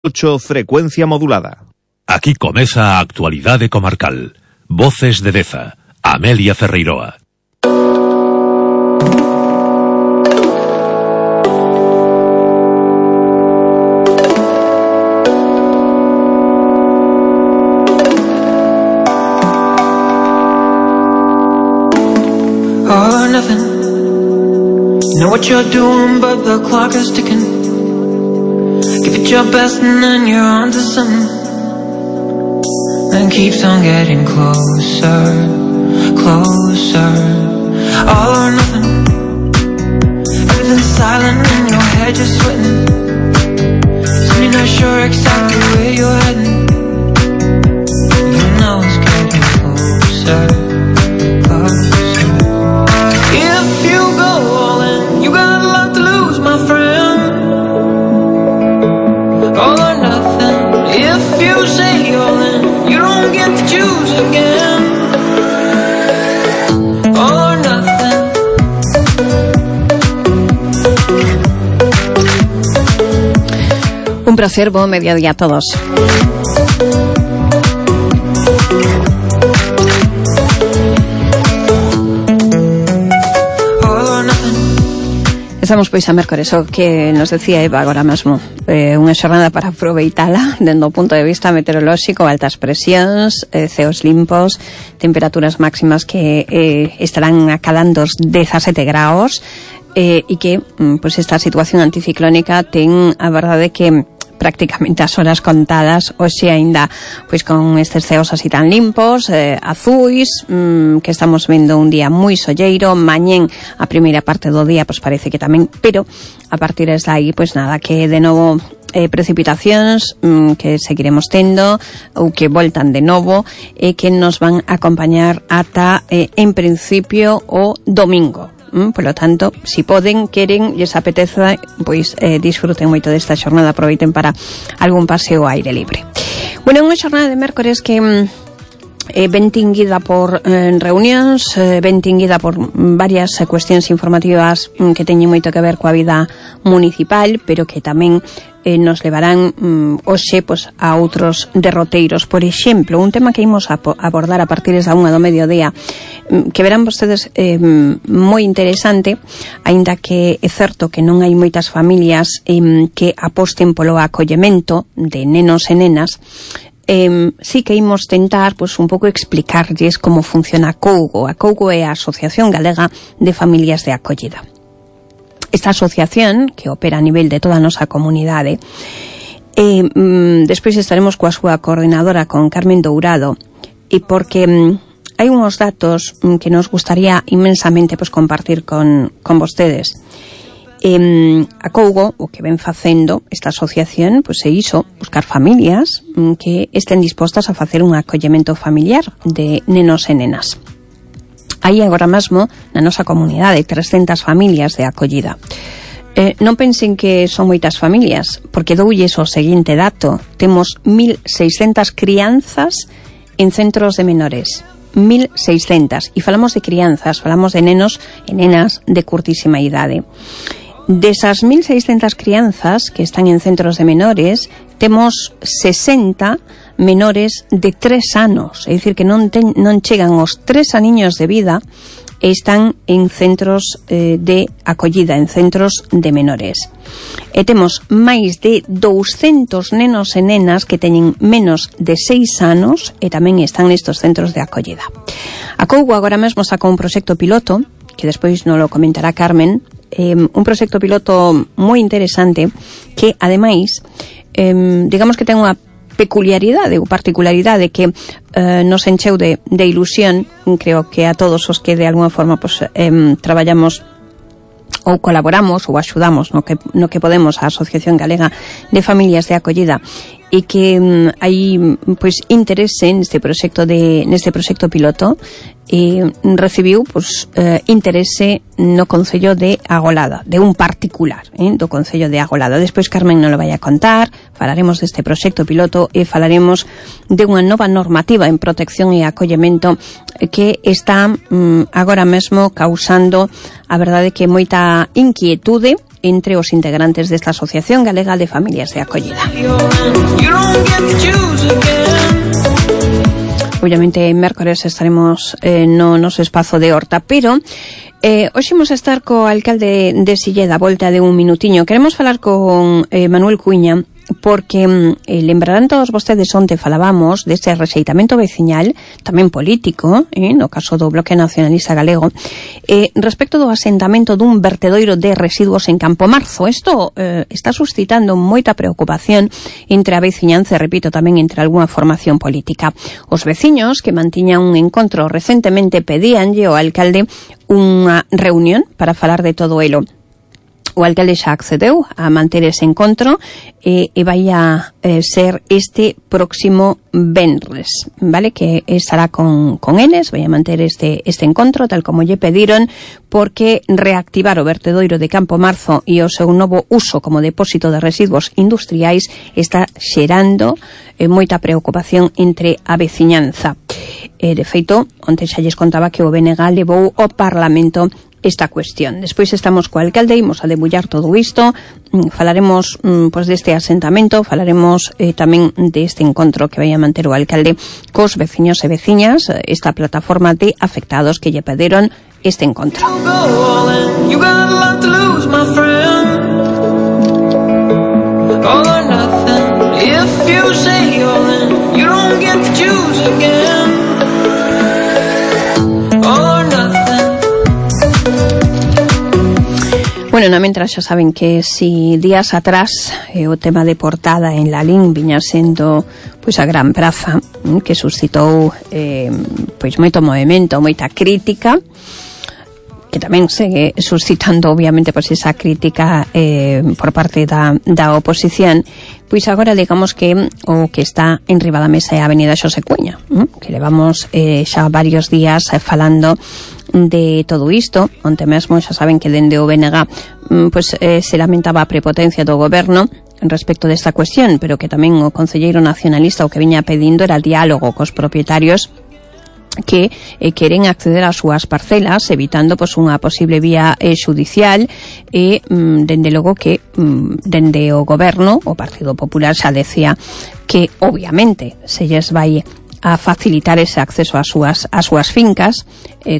8, frecuencia modulada. Aquí comeza a actualidade comarcal. Voces de Deza, Amelia Ferreiroa. All or nothing. You know what you're doing, but the clock is ticking. Give it your best and then you're on to something. And keeps on getting closer, closer. All or nothing. Everything's silent in your head, you're sweating. So you're not sure exactly where you're heading. You know it's getting closer, closer. If you go all in, you got a lot to lose, my friend. All or nothing. If you say all in, you don't get to choose again. All or nothing. Un placer, buen mediodía a todos. Estamos pois a mércores, o que nos decía Eva agora mesmo, unha xornada para aproveitala dende o punto de vista meteorolóxico, altas presións, ceos limpos, temperaturas máximas que estarán acalando os 17 graus, e que pois esta situación anticiclónica ten a verdade que prácticamente as horas contadas, hoxe aínda pois con estes ceos así tan limpos, azuis, que estamos vendo un día moi solleiro. Mañén a primeira parte do día pois parece que tamén, pero a partir de aí pois nada, que de novo precipitacións que seguiremos tendo ou que voltan de novo e que nos van a acompañar ata en principio o domingo. Polo tanto, si poden, queren, lles apeteza, pois disfruten moito desta xornada, aproveiten para algún paseo ao aire libre. Bueno, unha xornada de mércores que ben tinguida por reunións, ben tinguida por varias cuestións informativas que teñen moito que ver coa vida municipal, pero que tamén nos levarán hoxe pois, a outros derroteiros. Por exemplo, un tema que imos a abordar a partir da 1 do mediodía, que verán vostedes moi interesante, aínda que é certo que non hai moitas familias que aposten polo acollemento de nenos e nenas. Sí que imos tentar pois, un pouco explicarlles como funciona a Cougo. A Cougo é a Asociación Galega de Familias de Acollida. Esta asociación, que opera a nivel de toda a nosa comunidade, despois estaremos coa súa coordinadora, con Carmen Dourado, e porque hai unhos datos que nos gustaría inmensamente pois, compartir con vostedes. A Cougo, o que ven facendo esta asociación, pois é iso, buscar familias que estén dispostas a facer un acollemento familiar de nenos e nenas. Hai agora mesmo na nosa comunidade 300 familias de acollida. Non pensen que son moitas familias, porque doulles o seguinte dato: temos 1.600 crianzas en centros de menores. 1.600, e falamos de crianzas, falamos de nenos e nenas de curtísima idade. Desas 1.600 crianzas que están en centros de menores, temos 60 menores de 3 anos, é dicir, que non chegan aos 3 aniños de vida e están en centros de acollida, en centros de menores. E temos máis de 200 nenos e nenas que teñen menos de 6 anos e tamén están nestos centros de acollida. A Cougo agora mesmo sacou un proxecto piloto, que despois nos lo comentará Carmen, un proxecto piloto moi interesante que, ademais, digamos que ten unha peculiaridade ou particularidade que nos encheu de ilusión. Creo que a todos os que de alguna forma pues, traballamos ou colaboramos ou axudamos no que podemos a Asociación Galega de Familias de Acollida, e que hai pois interese neste proxecto piloto, e recibiu pois interese no Concello de Agolada, de un particular, do Concello de Agolada. Despois Carmen non lo vai a contar, falaremos deste proxecto piloto e falaremos de unha nova normativa en protección e acollemento que está agora mesmo causando, a verdade, que moita inquietude entre os integrantes desta Asociación Galega de Familias de Acollida. Obviamente, mércores estaremos no noso espazo de Horta, pero hoxe imos estar co alcalde de Silleda, volta de un minutiño. Queremos falar con Manuel Cuiña, porque lembrarán todos vostedes onte falábamos deste rexeitamento veciñal, tamén político, no caso do Bloque Nacionalista Galego, respecto do asentamento dun vertedoiro de residuos en Campo Marzo. Isto está suscitando moita preocupación entre a veciñanza, repito, tamén entre algunha formación política. Os veciños que mantiñan un encontro recentemente pedíanlle ao alcalde unha reunión para falar de todo elo. O alcalde xa accedeu a manter ese encontro e vai a ser este próximo venres, vale? Que estará con eles, vai a manter este encontro tal como lle pediron, porque reactivar o vertedoiro de Campo Marzo e o seu novo uso como depósito de residuos industriais está xerando moita preocupación entre a veciñanza. De feito, onte xa lles contaba que o BNG levou ao Parlamento esta cuestión. Despois estamos co alcalde, imos a debullar todo isto, falaremos pois deste asentamento, falaremos tamén deste encontro que vai a manter o alcalde cos veciños e veciñas, esta plataforma de afectados que lle pediron este encontro. Bueno, na mentras xa saben que si días atrás o tema de portada en Lalín viña sendo pois a gran praza que suscitou pois moito movimento, moita crítica, que tamén segue suscitando obviamente pois esa crítica por parte da oposición. Pois agora digamos que o que está en riba da mesa é a Avenida Xosé Cuña, que levamos xa varios días falando de todo isto. Onte mesmo xa saben que dende o BNG pois se lamentaba a prepotencia do goberno respecto desta cuestión, pero que tamén o concelleiro nacionalista o que viña pedindo era diálogo cos propietarios que queren acceder ás súas parcelas, evitando pois unha posible vía xudicial e dende logo que dende o goberno, o Partido Popular xa decía que obviamente se lles vai a facilitar ese acceso ás súas fincas,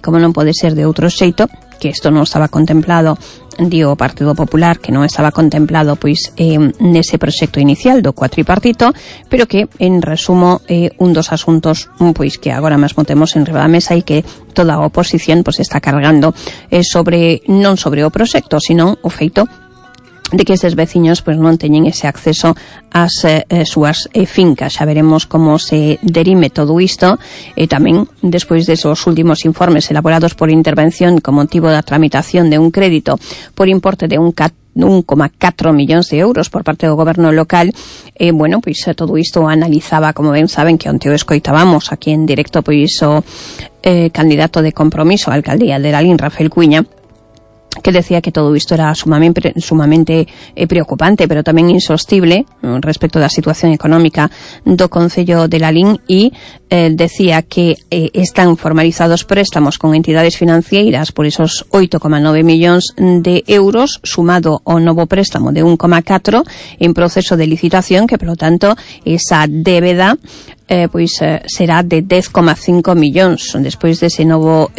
como non pode ser de outro xeito, que isto non estaba contemplado, dio o Partido Popular, que non estaba contemplado pois nese proxecto inicial do cuatripartito, pero que en resumo un dos asuntos pois que agora mesmo temos en riba da mesa e que toda a oposición pois está cargando non sobre o proxecto, sino o feito de que estes veciños pois non teñen ese acceso ás súas fincas. Xa veremos como se derime todo isto, e tamén despois desos últimos informes elaborados por intervención con motivo da tramitación de un crédito por importe de 1,4 millóns de euros por parte do goberno local. Bueno, pois todo isto analizaba, como ben saben, que onte o escoitábamos aquí en directo, pois o candidato de Compromiso á alcaldía de Lalín, Rafael Cuiña, que decía que todo isto era sumamente preocupante, pero tamén insostible respecto da situación económica do Concello de Lalín, e decía que están formalizados préstamos con entidades financeiras por esos 8,9 millóns de euros, sumado ao novo préstamo de 1,4 en proceso de licitación, que, polo tanto, esa débeda pois será de 10,5 millóns despois dese novo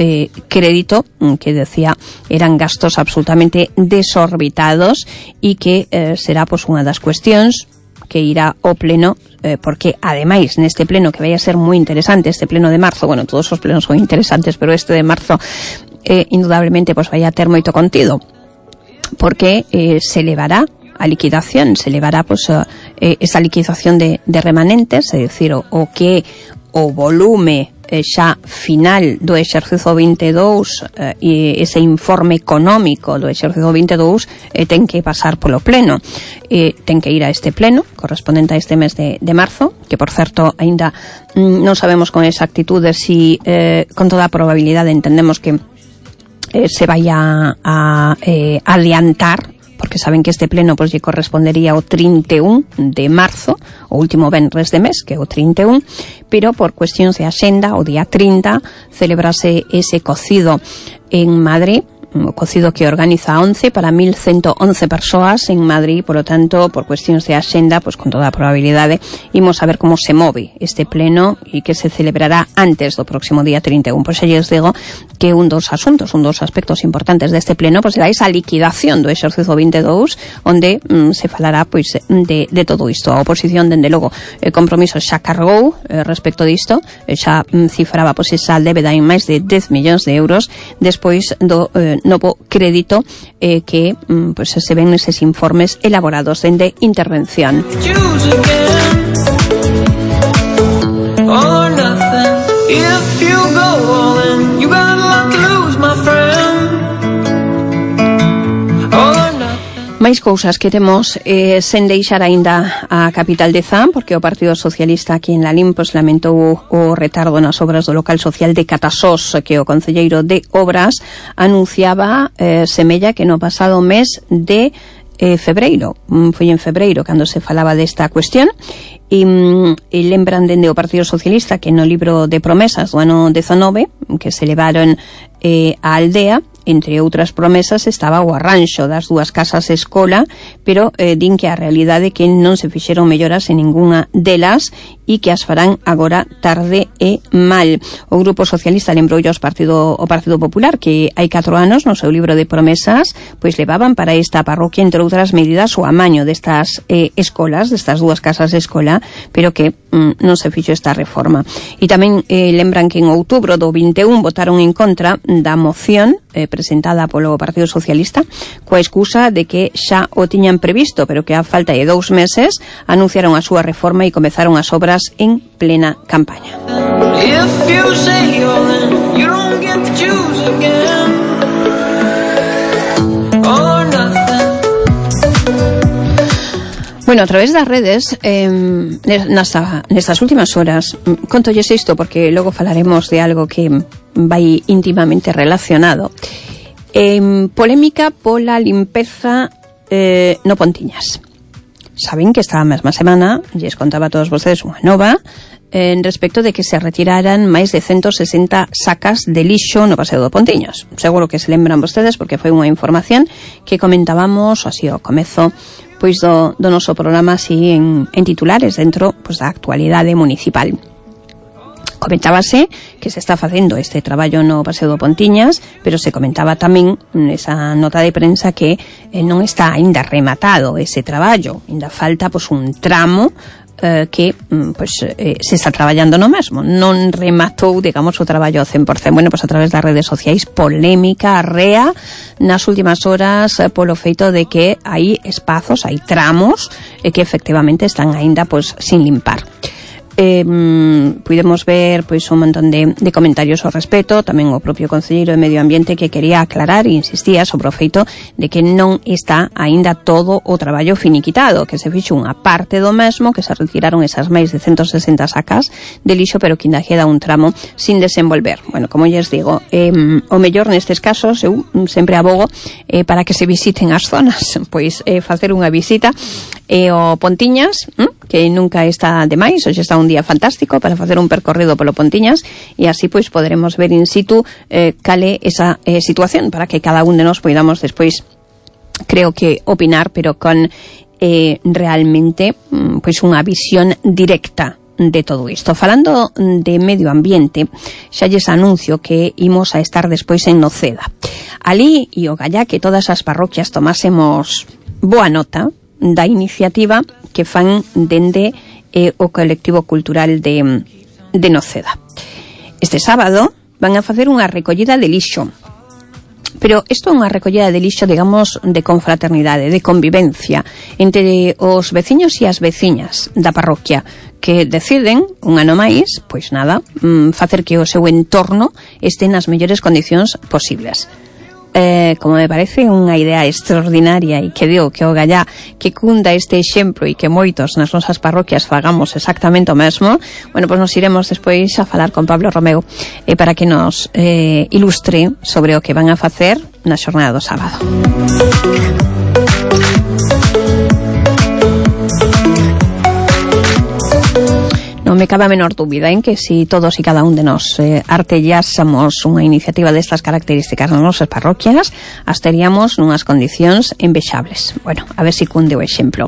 crédito, que decía eran gastos absolutamente desorbitados, e que será pois unha das cuestións que irá ao pleno, porque ademais neste pleno, que vai a ser moi interesante, este pleno de marzo, bueno, todos os plenos son interesantes, pero este de marzo indudablemente pois vai a ter moito contido, porque se levará a liquidación, se levará pois esa liquidación de remanentes, é dicir, o que o volume xa final do exercicio 22 e ese informe económico do exercicio 22 ten que pasar polo pleno, ten que ir a este pleno correspondente a este mes de marzo, que por certo aínda non sabemos con exactitude si con toda a probabilidade entendemos que se vai a adiantar, porque saben que este pleno pois lle correspondería ao 31 de marzo, o último venres de mes, que é o 31, pero por cuestións de axenda, o día 30 celebrase ese cocido en Madrid, o cocido que organiza 11 para 1.111 persoas en Madrid, polo tanto, por cuestións de axenda, pois con toda a probabilidade, imos a ver como se move este pleno e que se celebrará antes do próximo día 31. Pois xa lles digo que un dos aspectos importantes deste pleno, pois será esa liquidación do exercicio 22, onde se falará pois de todo isto. A oposición, dende logo, compromiso xa cargou respecto disto, xa cifraba pois esa débeda en máis de 10 millóns de euros despois do novo crédito que pois se ven neses informes elaborados dende Intervención. Máis cousas que temos sen deixar aínda a capital de Zan, porque o Partido Socialista aquí en Lalín pois lamentou o retardo nas obras do local social de Catasós, que o concelleiro de Obras anunciaba semella que no pasado mes de febreiro, foi en febreiro cando se falaba desta cuestión, e lembran dende o Partido Socialista que no libro de promesas do ano 19 que se levaron á aldea, entre outras promesas estaba o arranxo das dúas casas escola, pero din que a realidade é que non se fixeron melloras en ninguna delas e que as farán agora tarde e mal. O Grupo Socialista lembroulle ao Partido Popular que hai 4 anos no seu libro de promesas pois levaban para esta parroquia, entre outras medidas, o amaño destas escolas, destas dúas casas escola, pero que non se fixo esta reforma. E tamén lembran que en outubro do 21 votaron en contra da moción presentada polo Partido Socialista coa excusa de que xa o tiñan previsto, pero que a falta de 2 meses anunciaron a súa reforma e comezaron as obras en plena campaña. Bueno, a través das redes, nestas últimas horas, contolles isto porque logo falaremos de algo que vai íntimamente relacionado. Polémica pola limpeza no Pontiñas. Saben que esta mesma semana lles contaba a todos vostedes unha nova en respecto de que se retiraran máis de 160 sacas de lixo no paseo do Pontiñas. Seguro que se lembran vostedes porque foi unha información que comentábamos así ao comezo pois do noso programa así en titulares dentro pois da actualidade municipal. Comentábase que se está facendo este traballo no paseo do Pontiñas, pero se comentaba tamén nesa nota de prensa que non está aínda rematado ese traballo, aínda falta pois un tramo que se está traballando no mesmo, non rematou, digamos, o traballo ao 100%. Bueno, pois a través das redes sociais, polémica arrea nas últimas horas polo feito de que hai espazos, hai tramos que efectivamente están aínda pois sin limpar. Pudemos ver pois un montón de comentarios ao respecto, tamén o propio concelleiro de Medio Ambiente que quería aclarar e insistía sobre o feito de que non está aínda todo o traballo finiquitado, que se fixo unha parte do mesmo, que se retiraron esas máis de 160 sacas de lixo, pero que ainda queda un tramo sin desenvolver. Bueno, como lles digo, o mellor nestes casos eu sempre abogo para que se visiten as zonas, pois facer unha visita ao Pontiñas, que nunca está de máis, hoxe está un día fantástico para facer un percorrido polo Pontiñas e así pois poderemos ver in situ cale esa situación para que cada un de nós poidamos despois, creo que opinar, pero con realmente pois unha visión directa de todo isto. Falando de medio ambiente, xa lles anuncio que imos a estar despois en Noceda. Ali e o gallá que todas as parroquias tomásemos boa nota da iniciativa que fan dende o colectivo cultural de Noceda. Este sábado van a facer unha recollida de lixo, pero isto é unha recollida de lixo, digamos, de confraternidade, de convivencia entre os veciños e as veciñas da parroquia que deciden, un ano máis, pois nada, facer que o seu entorno este nas mellores condicións posibles. Como me parece unha idea extraordinaria e que digo que o gallá que cunda este exemplo e que moitos nas nosas parroquias fagamos exactamente o mesmo, bueno, pois nos iremos despois a falar con Pablo Romeu para que nos ilustre sobre o que van a facer na xornada do sábado. No me cabe a menor dúbida en que si todos e cada un de nós artellásemos unha iniciativa destas características nas nosas parroquias, as teríamos nunhas condicións envexables. Bueno, a ver se cunde o exemplo.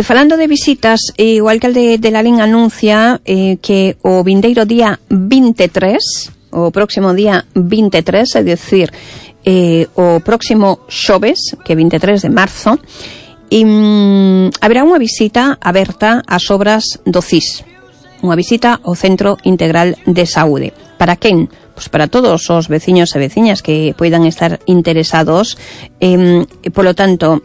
Falando de visitas, o alcalde de Lalín anuncia que o vindeiro día 23, o próximo día 23, é dicir, o próximo xoves, que é 23 de marzo, haberá unha visita aberta ás obras do CIS, unha visita ao Centro Integral de Saúde. Para quen? Pois para todos os veciños e veciñas que poidan estar interesados, polo tanto,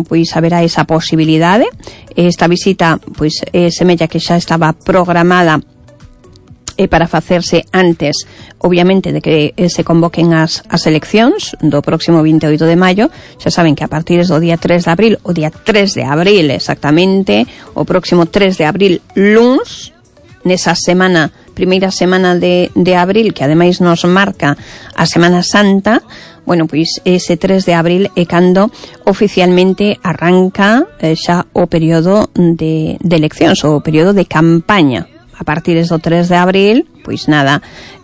pois haberá esa posibilidade. Esta visita, pois, semella que xa estaba programada para facerse antes, obviamente, de que se convoquen as eleccións do próximo 28 de maio. Xa saben que a partir do día 3 de abril, o día 3 de abril exactamente, o próximo 3 de abril, luns, nesa semana, primeira semana de abril, que ademais nos marca a Semana Santa, bueno, pois ese 3 de abril é cando oficialmente arranca xa o período de eleccións, o período de campaña. A partir do 3 de abril, pois nada,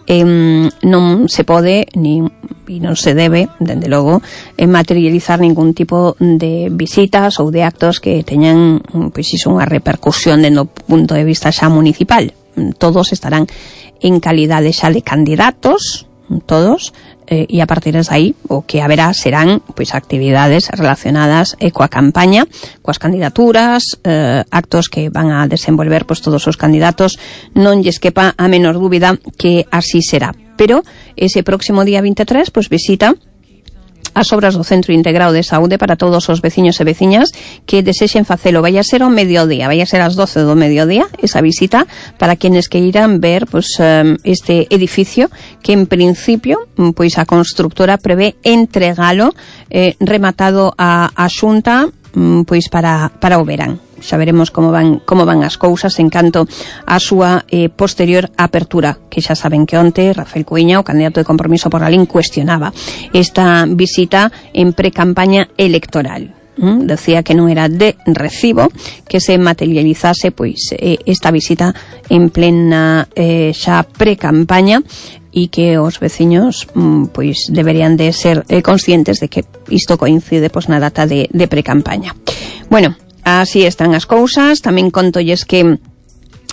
non se pode e non se debe, dende logo, materializar ningún tipo de visitas ou de actos que teñan, pois iso, unha repercusión dende o punto de vista xa municipal. Todos estarán en calidade xa de candidatos, todos, e a partir de aí o que haberá serán pois actividades relacionadas coa campaña, coas candidaturas, actos que van a desenvolver pois todos os candidatos. Non lles quepa a menor dúbida que así será. Pero ese próximo día 23 pois visita as obras do Centro Integrado de Saúde para todos os veciños e veciñas que desexen facelo. Vai a ser ao mediodía, vai a ser ás 12 do mediodía esa visita para quenes que irán ver pois, este edificio que en principio pois a constructora prevé entregalo rematado a Xunta pois para o verán. Xa veremos como van as cousas en canto a súa posterior apertura, que xa saben que onte Rafael Cuíña, o candidato de Compromiso por Lalín, cuestionaba esta visita en pre-campaña electoral. Decía que non era de recibo que se materializase pois esta visita en plena xa pre-campaña, e que os veciños pois deberían de ser conscientes de que isto coincide pois na data de pre-campaña. Bueno, así están as cousas. Tamén contolles que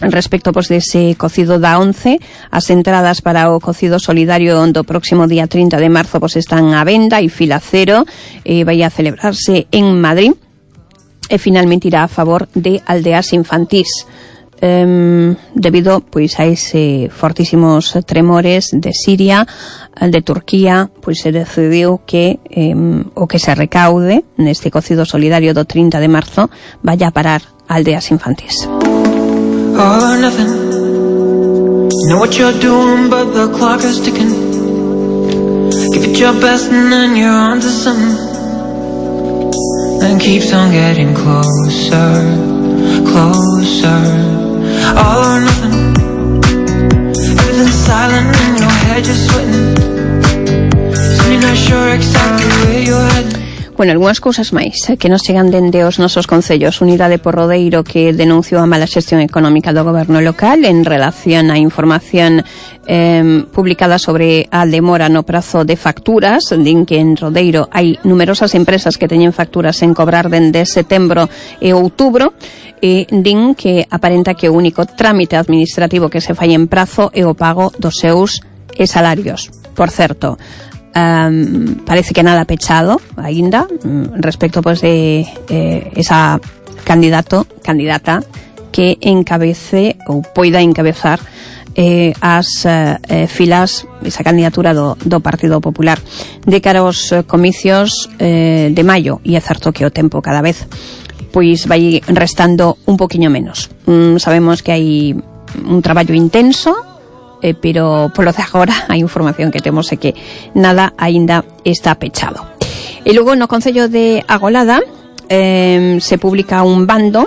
respecto pois dese cocido da 11, as entradas para o cocido solidario do próximo día 30 de marzo pois están á venda e fila cero, vai a celebrarse en Madrid e finalmente irá a favor de aldeas infantís. Debido pois a ese fortísimos tremores de Siria, de Turquía, pois se decidiu que o que se recaude neste cocido solidario do 30 de marzo vaya a parar a aldeas infantís. All or nothing. Know what you're doing, but the clock is ticking. Give it your best and then you're on to something. And keeps on getting closer, closer. All or nothing. Everything's silent in your head, just sweating. So you're not sure exactly where you're heading. Bueno, algunhas cousas máis que nos chegan dende os nosos concellos. Unidade Porrodeiro, que denunciou a mala xestión económica do goberno local en relación á información publicada sobre a demora no prazo de facturas. Din que en Rodeiro hai numerosas empresas que teñen facturas en cobrar dende setembro e outubro, e din que aparenta que o único trámite administrativo que se fai en prazo é o pago dos seus salarios. Por certo, parece que nada pechado aínda respecto pois de esa candidata que encabece ou poida encabezar as filas, esa candidatura do Partido Popular de cara aos comicios de maio. E é certo que o tempo cada vez pois vai restando un poquinho menos. Sabemos que hai un traballo intenso, pero polo de agora a información que temos é que nada aínda está pechado. E logo no Concello de Agolada se publica un bando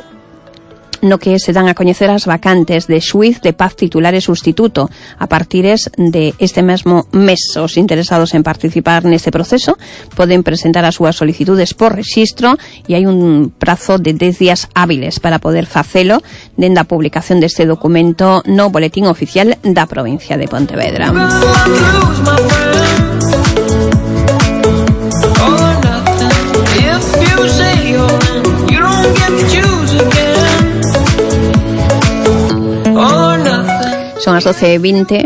no que se dan a coñecer as vacantes de xuiz de paz titular e sustituto. A partires de este mesmo mes, os interesados en participar neste proceso poden presentar as súas solicitudes por rexistro e hai un prazo de 10 días hábiles para poder facelo dende a publicación deste documento no Boletín Oficial da provincia de Pontevedra. Son as 12:20,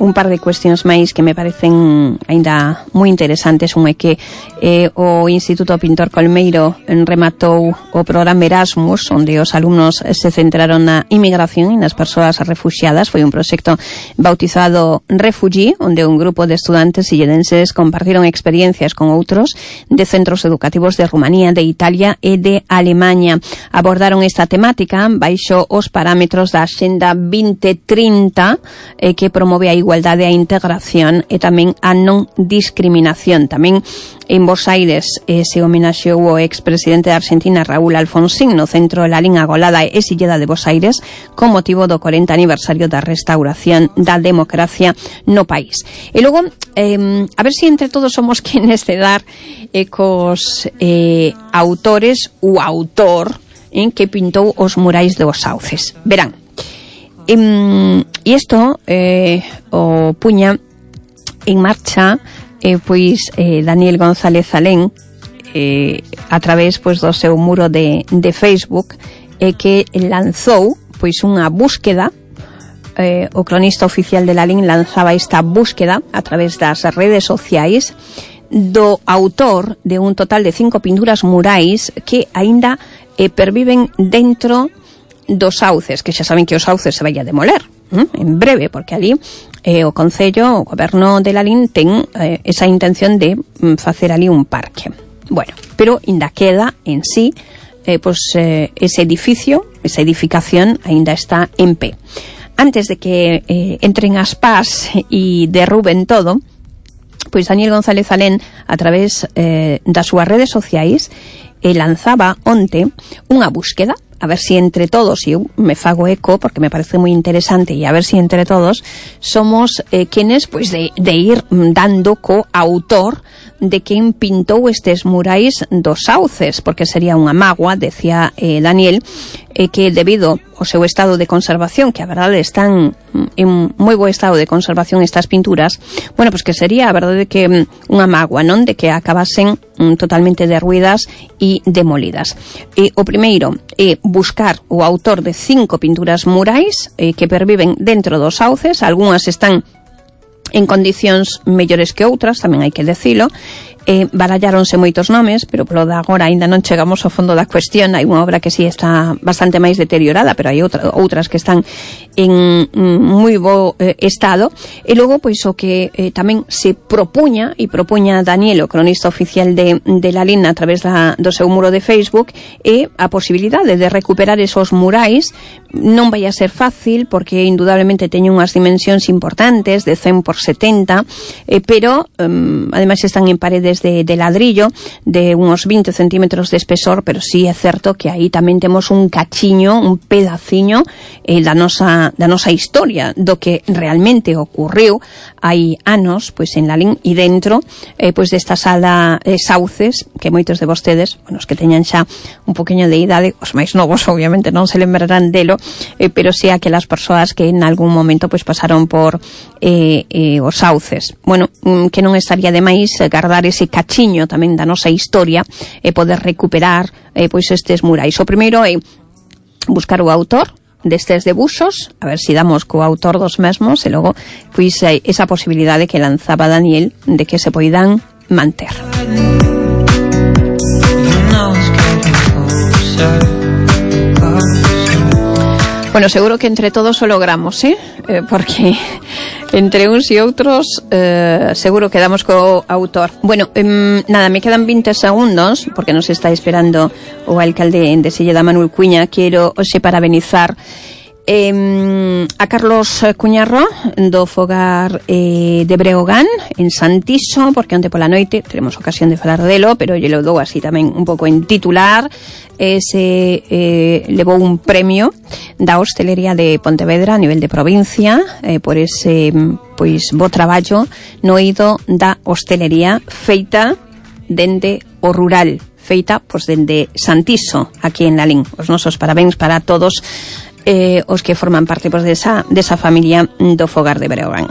un par de cuestións máis que me parecen aínda moi interesantes. Un é que o Instituto Pintor Colmeiro rematou o programa Erasmus, onde os alumnos se centraron na inmigración e nas persoas refuxiadas. Foi un proxecto bautizado Refugee, onde un grupo de estudantes silledenses compartiron experiencias con outros de centros educativos de Rumanía, de Italia e de Alemaña. Abordaron esta temática baixo os parámetros da Axenda 2030, que promove a igualdade e a integración e tamén a non discriminación. Tamén en Bos Aires se homenaxeou o expresidente de Argentina, Raúl Alfonsín, no centro Lalín Agolada e Silleda de Bos Aires, con motivo do 40 aniversario da restauración da democracia no país. E logo, a ver se entre todos somos quenes de dar cos autores ou autor que pintou os murais dos Sauces. Verán, e isto o puña en marcha pois Daniel González Alén a través pois do seu muro de Facebook, que lanzou pois unha búsqueda. O cronista oficial de Lalín lanzaba esta búsqueda a través das redes sociais do autor de un total de 5 pinturas murais que aínda perviven dentro dos sauces, que xa saben que os sauces se vai a demoler en breve, porque ali o Concello, o Goberno de Lalín ten esa intención de facer ali un parque. Bueno, pero ainda queda en sí ese edificio, esa edificación ainda está en pé. Antes de que entren as pás e derruben todo, pois Daniel González Alén, a través das súas redes sociais, lanzaba onte unha búsqueda, a ver si entre todos, e eu me fago eco porque me parece moi interesante, e a ver si entre todos somos quenes pois de ir dando co autor de quen pintou estes murais dos Sauces, porque sería unha mágoa, decía Daniel, que debido ao seu estado de conservación, que a verdade están en moi bo estado de conservación estas pinturas, bueno, pues que sería a verdade que unha mágoa, non, de que acabasen totalmente derruídas e demolidas. O primeiro é buscar o autor de 5 pinturas murais que perviven dentro dos Sauces. Algúnas están en condicións mellores que outras, tamén hai que decilo. Baralláronse moitos nomes, pero polo de agora aínda non chegamos ao fondo da cuestión. Hai unha obra que sí está bastante máis deteriorada, pero hai outras que están en moi bo estado. E logo, pois, o que tamén se propuña Daniel, o cronista oficial de Lalín, a través do seu muro de Facebook, é a posibilidade de recuperar esos murais. Non vai a ser fácil, porque indudablemente teñen unhas dimensións importantes, de 100 por 70, pero ademais están en paredes de ladrillo de unos 20 centímetros de espesor, pero sí é certo que aí tamén temos un cachiño, un pedaciño da nosa historia, do que realmente ocurriu hai anos pois en Lalín, e dentro pois desta sala Sauces, que moitos de vostedes, bueno, os que teñan xa un poquinho de idade, os máis novos obviamente non se lembrarán delo, pero sí aquelas persoas que en algún momento pois pasaron por os Sauces. Bueno, que non estaría de máis guardar ese cachiño tamén da nosa historia e poder recuperar pois estes murais. O primeiro é buscar o autor destes debuxos, a ver se damos co autor dos mesmos, e logo pois esa posibilidade que lanzaba Daniel de que se poidan manter. Bueno, seguro que entre todos o logramos, porque entre uns e outros seguro que damos co autor. Bueno, nada, me quedan 20 segundos, porque nos está esperando o alcalde de Silleda, Manuel Cuña. Quero hoxe parabenizar A Carlos Cuñarro do Fogar de Breogán en Santiso, porque onte pola noite teremos ocasión de falar delo, pero lle lo dou así tamén un pouco en titular. Levou un premio da hostelería de Pontevedra a nivel de provincia por ese pois bo traballo no eido da hostelería feita dende o rural, feita pois dende Santiso, aquí en Lalín. Os nosos parabéns para todos os que forman parte pois desa familia do Fogar de Breogán.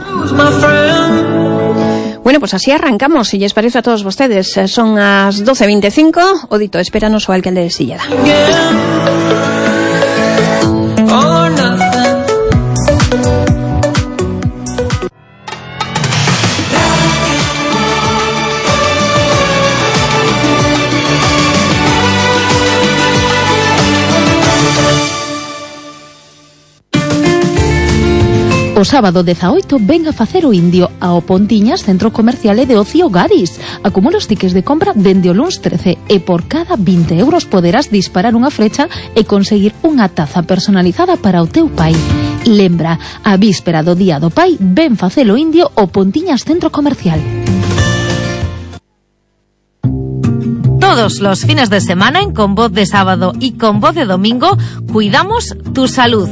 Bueno, pues así arrancamos, si les parece a todos vostedes. Son as 12:25, o dito, espéranos o alcalde de Silleda. O sábado 18 ven a facer o indio ao Pontiñas Centro Comercial e de Ocio Garis. Acumula os tickets de compra dende o luns 13 e por cada 20 euros poderás disparar unha flecha e conseguir unha taza personalizada para o teu pai. Lembra, a víspera do Día do Pai, ven facer o indio ao Pontiñas Centro Comercial. Todos los fines de semana en Con Voz de Sábado y Con Voz de Domingo cuidamos tu salud.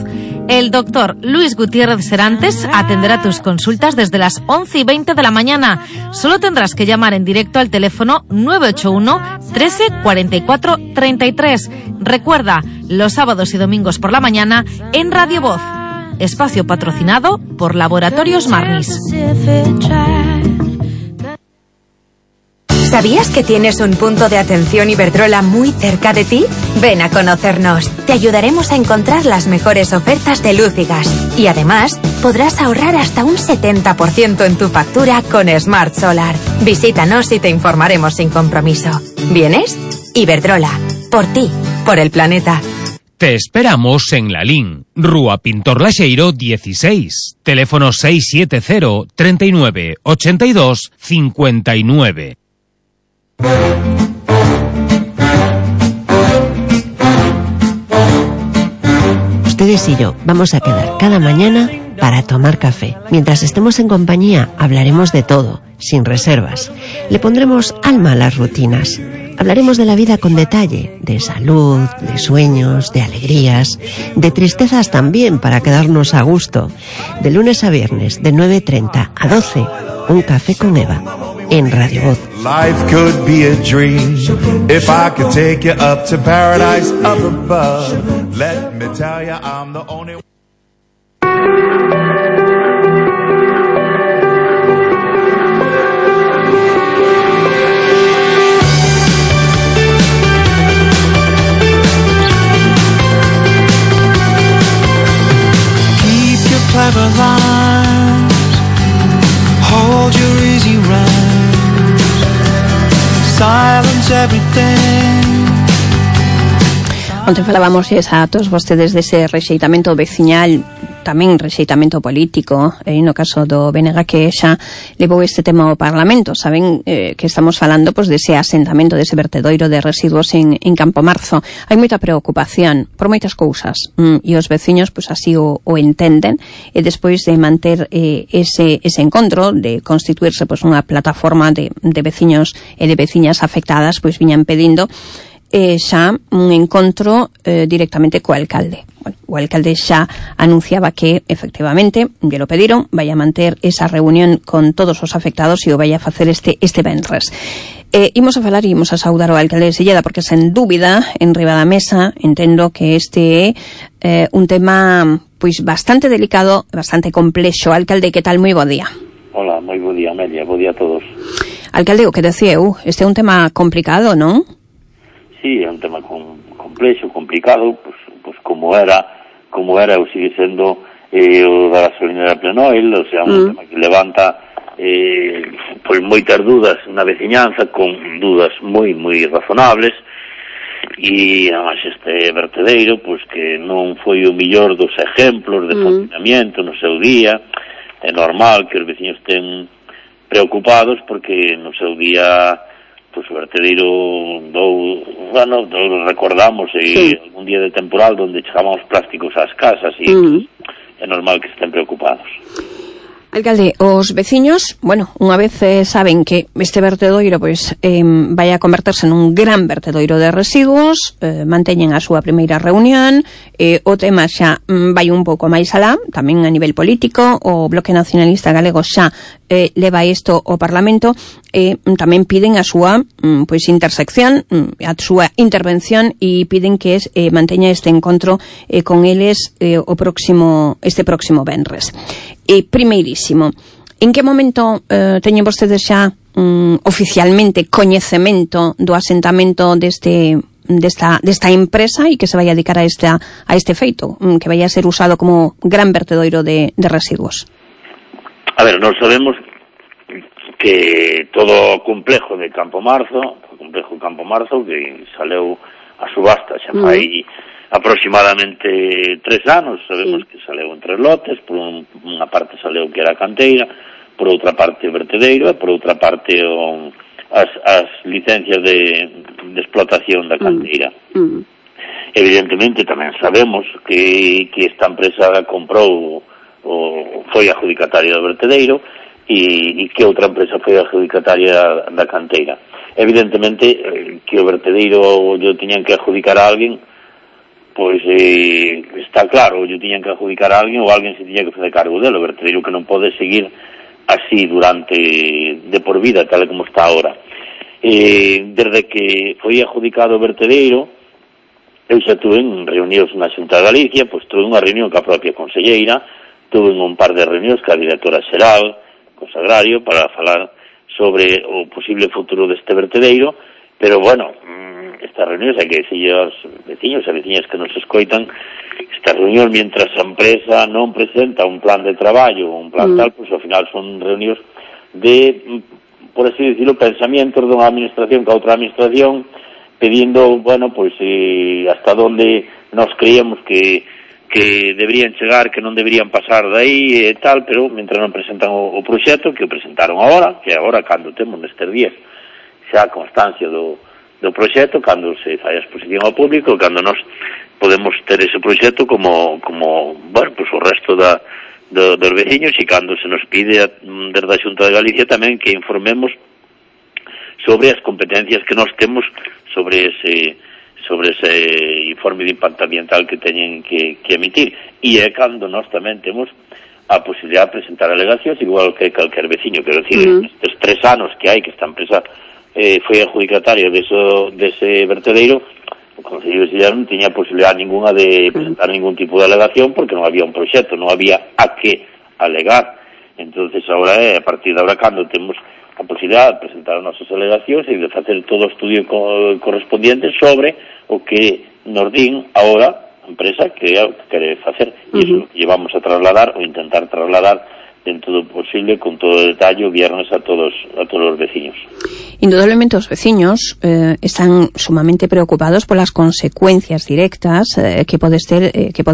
El doctor Luis Gutiérrez Serantes atenderá tus consultas desde las 11:20 de la mañana. Solo tendrás que llamar en directo al teléfono 981 13 44 33. Recuerda, los sábados y domingos por la mañana en Radio Voz. Espacio patrocinado por Laboratorios Marnis. ¿Sabías que tienes un punto de atención Iberdrola muy cerca de ti? Ven a conocernos. Te ayudaremos a encontrar las mejores ofertas de luz y gas. Y además, podrás ahorrar hasta un 70% en tu factura con Smart Solar. Visítanos y te informaremos sin compromiso. ¿Vienes? Iberdrola. Por ti. Por el planeta. Te esperamos en Lalín, Rúa Pintor Laxeiro 16, teléfono 670 39 82 59. Ustedes y yo vamos a quedar cada mañana para tomar café. Mientras estemos en compañía, hablaremos de todo, sin reservas. Le pondremos alma a las rutinas. Hablaremos de la vida con detalle, de salud, de sueños, de alegrías, de tristezas también para quedarnos a gusto. De lunes a viernes, de 9:30 a 12, un café con Eva. En Radio Voz. Life could be a dream if I could take you up to paradise up above. Let me tell you I'm the only one. Keep your clever lines, hold your easy rhyme. Onte falábamos a todos vostedes dese rexeitamento veciñal, tamén rexeitamento político, no caso do BNG que xa levou este tema ao Parlamento. Saben que estamos falando pois dese asentamento, dese vertedoiro de residuos en Campo Marzo. Hai moita preocupación por moitas cousas e os veciños pois así o entenden, e despois de manter ese encontro, de constituirse pois unha plataforma de veciños e de veciñas afectadas, pois viñan pedindo xa un encontro directamente co alcalde. Bueno, o alcalde xa anunciaba que efectivamente lle lo pediron, vai a manter esa reunión con todos os afectados e o vai a facer este venres. Imos a falar e imos a saudar ao alcalde de Silleda, porque sen dúbida, en riba da mesa, entendo que este é un tema pois bastante delicado, bastante complexo. Alcalde, que tal? Moi bo día. Hola, moi bo día, Amelia, bo día a todos. Alcalde, o que decía eu, este é un tema complicado, non? Sí, é un tema complexo, complicado, pues como era ou sigue sendo o da gasolinera Plenoil, o sea, un tema que levanta pois moitas dudas na veciñanza, con dudas moi razonables, e además este vertedeiro, pois que non foi o millor dos exemplos de funcionamento no seu día. É normal que os veciños estén preocupados porque no seu día pois o vertedeiro recordamos algún día de temporal onde chegaban os plásticos ás casas e é normal que estén preocupados. Alcalde, os veciños, bueno, unha vez saben que este vertedoiro pois vai a converterse nun gran vertedoiro de residuos, manteñen a súa primeira reunión, o tema xa vai un pouco máis alá, tamén a nivel político, o Bloque Nacionalista Galego xa leva isto ao Parlamento, tamén piden a súa pois intersección, a súa intervención e piden que manteña este encontro con eles este próximo venres. Primeirísimo, en que momento teñen vostedes xa oficialmente coñecemento do asentamento desta empresa e que se vai a dedicar a este feito, que vai a ser usado como gran vertedoiro de residuos? A ver, nós sabemos que todo o complejo de Campo Marzo, que saleu a subasta xa fai aproximadamente 3 anos, sabemos que saleu en 3 lotes, por unha parte saleu que era a canteira, por outra parte o vertedeiro e por outra parte as licencias de explotación da canteira. Evidentemente tamén sabemos que esta empresa comprou ou foi adjudicataria do vertedeiro e que outra empresa foi adjudicataria da canteira. Evidentemente que o vertedeiro yo tiñan que adjudicar a alguén, pois está claro, yo tiñan que adjudicar a alguén ou alguén se tiña que facer cargo dele. O vertedeiro que non pode seguir así durante de por vida, tal como está ahora. Desde que foi adjudicado o vertedeiro, eu xa tuve en reunións na Xunta de Galicia, pois tuve unha reunión ca propia conselleira, tuve un par de reunións ca directora xeral, co Sagrario, para falar sobre o posible futuro deste vertedeiro, pero bueno, estas reunións, hai que decirle aos veciños e veciñas que nos escoitan, estas reunións, mientras a empresa non presenta un plan de traballo, un plan tal, pois ao final son reunións de, por así decirlo, pensamientos dunha administración ca outra administración, pedindo, bueno, pois hasta onde nos creíamos que deberían chegar, que non deberían pasar de aí e tal, pero mentre non presentan o proxecto, que o presentaron agora, que agora cando temos nestes días xa constancia do proxecto, cando se fai a exposición ao público, cando nós podemos ter ese proxecto como bueno, pues o resto dos veciños, e cando se nos pide desde a Xunta de Galicia tamén que informemos sobre as competencias que nós temos sobre ese informe de impacto ambiental que teñen que emitir, e é cando nós tamén temos a posibilidad de presentar alegacións, igual que calquer veciño. Quero dicir, estes 3 anos que hai que esta empresa foi adjudicataria dese vertedeiro, o Consello de Silla non tiña posibilidad ninguna de presentar ningún tipo de alegación porque non había un proxecto, non había a que alegar. Entonces agora a partir de agora cando temos a posibilidad de presentar as nosas alegacións e de facer todo o estudio correspondiente sobre o que nos din agora a empresa que quere facer, e iso que llevamos a trasladar ou intentar trasladar dentro do posible, con todo o detalle, o viernes a todos os veciños. Indudablemente os veciños están sumamente preocupados polas consecuencias directas que pode